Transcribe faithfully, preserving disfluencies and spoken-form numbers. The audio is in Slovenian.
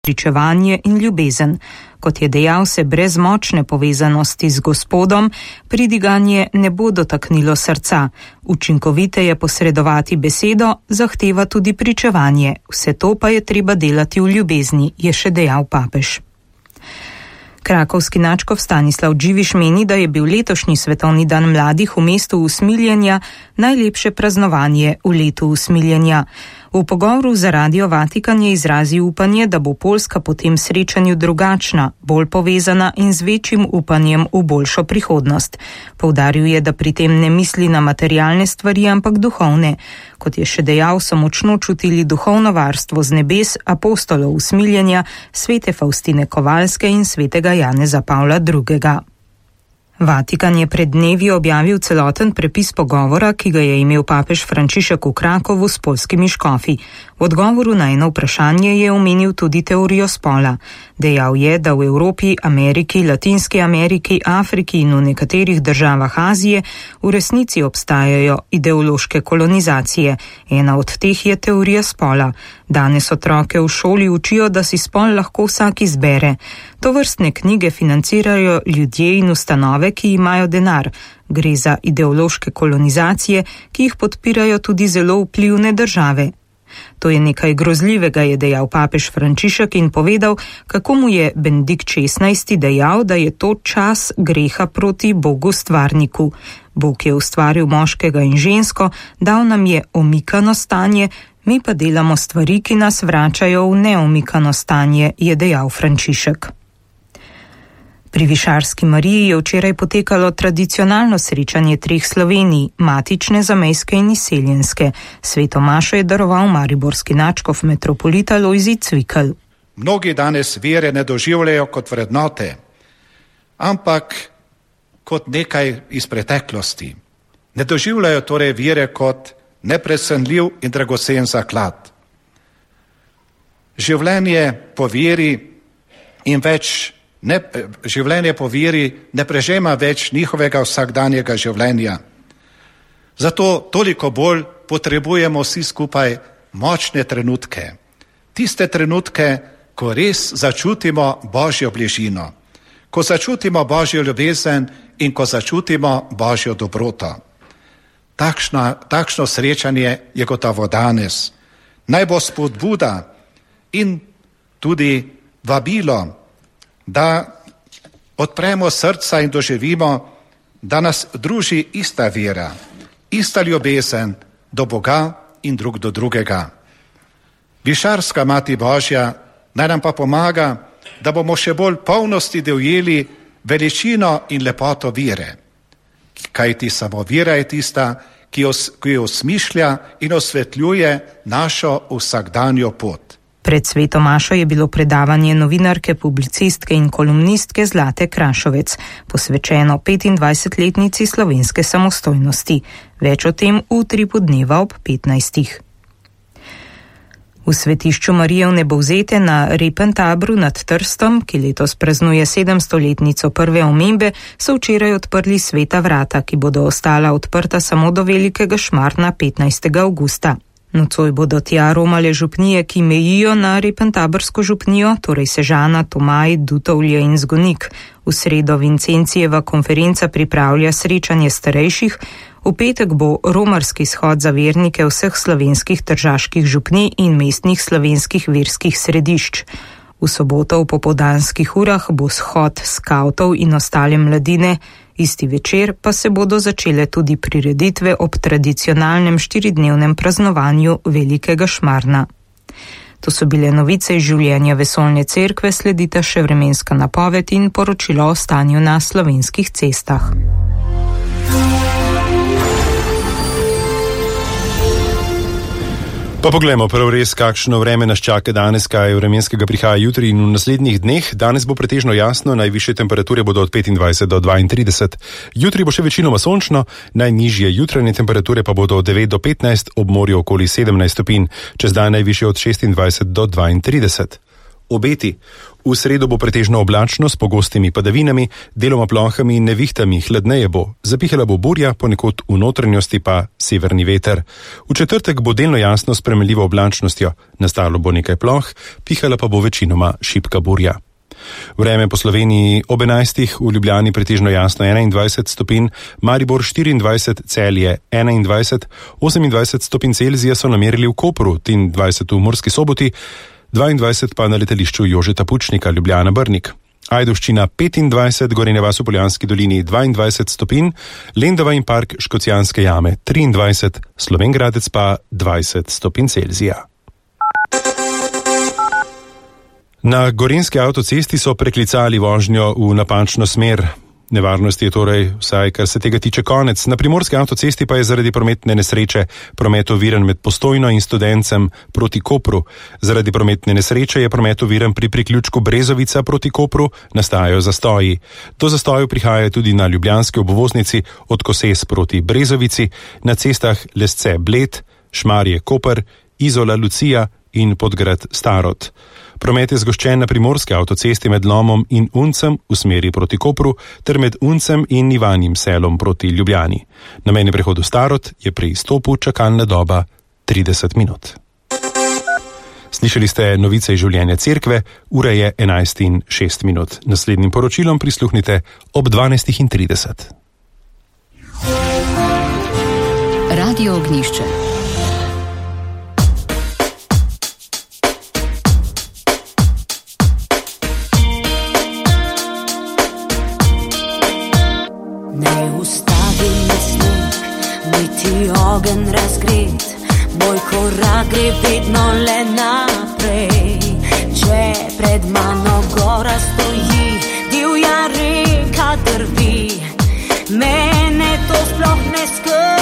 pričevanje in ljubezen. Kot je dejal, se brez močne povezanosti z Gospodom pridiganje ne bo dotaknilo srca. Učinkovite je posredovati besedo, zahteva tudi pričevanje. Vse to pa je treba delati v ljubezni, je še dejal papež. Krakovski nadškof Stanislav Dživiš meni, da je bil letošnji svetovni dan mladih v mestu usmiljenja najlepše praznovanje v letu usmiljenja. V pogovoru za Radio Vatikan je izrazil upanje, da bo Poljska po tem srečanju drugačna, bolj povezana in z večjim upanjem v boljšo prihodnost. Poudaril je, da pri tem ne misli na materialne stvari, ampak duhovne. Kot je še dejal, so močno čutili duhovno varstvo z nebes apostolov usmiljenja, svete Faustine Kovalske in svetega Janeza Pavla drugega. Vatikan je pred dnevi objavil celoten prepis pogovora, ki ga je imel papež Frančišek v Krakovu s poljskimi škofi. V odgovoru na eno vprašanje je omenil tudi teorijo spola. Dejal je, da v Evropi, Ameriki, Latinski Ameriki, Afriki in v nekaterih državah Azije v resnici obstajajo ideološke kolonizacije. Ena od teh je teorija spola. Danes otroke v šoli učijo, da si spol lahko vsak izbere. Tovrstne knjige financirajo ljudje in ustanove, ki imajo denar. Gre za ideološke kolonizacije, ki jih podpirajo tudi zelo vplivne države. To je nekaj grozljivega, je dejal papež Frančišek in povedal, kako mu je Benedikt šestnajsti dejal, da je to čas greha proti Bogu stvarniku. Bog je ustvaril moškega in žensko, dal nam je omikano stanje, mi pa delamo stvari, ki nas vračajo v neomikano stanje, je dejal Frančišek. Pri Višarski Mariji je včeraj potekalo tradicionalno srečanje treh Slovenij, matične, zamejske in izseljenske. Sveto mašo je daroval mariborski nadškof metropolita Lojzij Cvikl. Mnogi danes vere ne doživljajo kot vrednote, ampak kot nekaj iz preteklosti. Ne doživljajo torej vere kot neprecenljiv in dragocen zaklad. Življenje po veri in več Ne, življenje po veri ne prežema več njihovega vsakdanjega življenja. Zato toliko bolj potrebujemo vsi skupaj močne trenutke. Tiste trenutke, ko res začutimo Božjo bližino, ko začutimo Božjo ljubezen in ko začutimo Božjo dobroto. Takšna, takšno srečanje je gotovo danes. Naj bo spodbuda in tudi vabilo, da odpremo srca in doživimo, da nas druži ista vera, ista ljubezen do Boga in drug do drugega. Višarska Mati Božja naj nam pa pomaga, da bomo še bolj polnosti dojeli veličino in lepoto vere. Kajti samo vera je tista, ki, os, ki osmišlja in osvetljuje našo vsakdanjo pot. Pred sveto mašo je bilo predavanje novinarke, publicistke in kolumnistke Zlate Krašovec, posvečeno petindvajsetletnici slovenske samostojnosti. Več o tem v utripu dneva ob petnajstih. V svetišču Marije Vnebovzete na Repentabru nad Trstom, ki letos praznuje sedemstoletnico prve omembe, so včeraj odprli sveta vrata, ki bodo ostala odprta samo do velikega šmarna petnajstega avgusta. Nocoj bodo tja romale župnije, ki mejijo na Repentabrsko župnijo, torej Sežana, Tomaj, Dutovlje in Zgonik. V sredo Vincencijeva konferenca pripravlja srečanje starejših, v petek bo romarski shod za vernike vseh slovenskih tržaških župnij in mestnih slovenskih verskih središč. V soboto v popoldanskih urah bo shod skavtov in ostale mladine, isti večer pa se bodo začele tudi prireditve ob tradicionalnem štiridnevnem praznovanju Velikega šmarna. To so bile novice iz življenja Vesoljne cerkve, sledita še vremenska napoved in poročilo o stanju na slovenskih cestah. Pa poglejmo prav res, kakšno vreme nas čaka danes, kaj vremenskega prihaja jutri in v naslednjih dneh. Danes bo pretežno jasno, najvišje temperature bodo od petindvajset do dvaintrideset. Jutri bo še večinoma sončno, najnižje jutranje temperature pa bodo od devet do petnajst, ob morju okoli sedemnajst stopinj, čez dan najvišje od šestindvajset do dvaintrideset. Obeti. V sredo bo pretežno oblačno s pogostimi padavinami, deloma plohami in nevihtami, hladneje bo. Zapihala bo burja, ponekod v notranjosti pa severni veter. V četrtek bo delno jasno s spremenljivo oblačnostjo, nastalo bo nekaj ploh, pihala pa bo večinoma šibka burja. Vreme po Sloveniji ob enajstih, v Ljubljani pretežno jasno enaindvajset stopinj, Maribor štiriindvajset, Celje enaindvajset, osemindvajset stopinj Celzija so namerili v Kopru, triindvajset v Murski Soboti, dvaindvajset pa na letališču Jožeta Pučnika, Ljubljana Brnik. Ajdovščina petindvajset, Gorenja vas v Poljanski dolini dvaindvajset stopinj, Lendava in park Škocjanske jame triindvajset, Slovenj Gradec pa dvajset stopinj Celzija. Na gorenjski avtocesti so preklicali vožnjo v napačno smer. Nevarnosti je torej, vsaj kar se tega tiče, konec. Na primorski avtocesti pa je zaradi prometne nesreče promet oviran med Postojno in Studencem proti Kopru. Zaradi prometne nesreče je promet oviran pri priključku Brezovica proti Kopru, nastajajo zastoji. Do zastojev prihaja tudi na ljubljanski obvoznici od Koses proti Brezovici, na cestah Lesce Bled, Šmarje Koper, Izola Lucija in Podgrad Starod. Promet je zgoščen na primorski avtocesti med Lomom in Uncem v smeri proti Kopru ter med Uncem in Ivanjim selom proti Ljubljani. Na mejnem prehodu Starod je pri izstopu čakalna doba trideset minut. Slišali ste novice iz življenja cerkve, ura je enajst in šest minut. Naslednjim poročilom prisluhnite ob dvanajst in trideset. Radio Ognjišče. Ogen razgret, moj korak gre vedno le naprej. Če pred mano gora stoji, divja reka drvi, mene to sploh ne skrbi.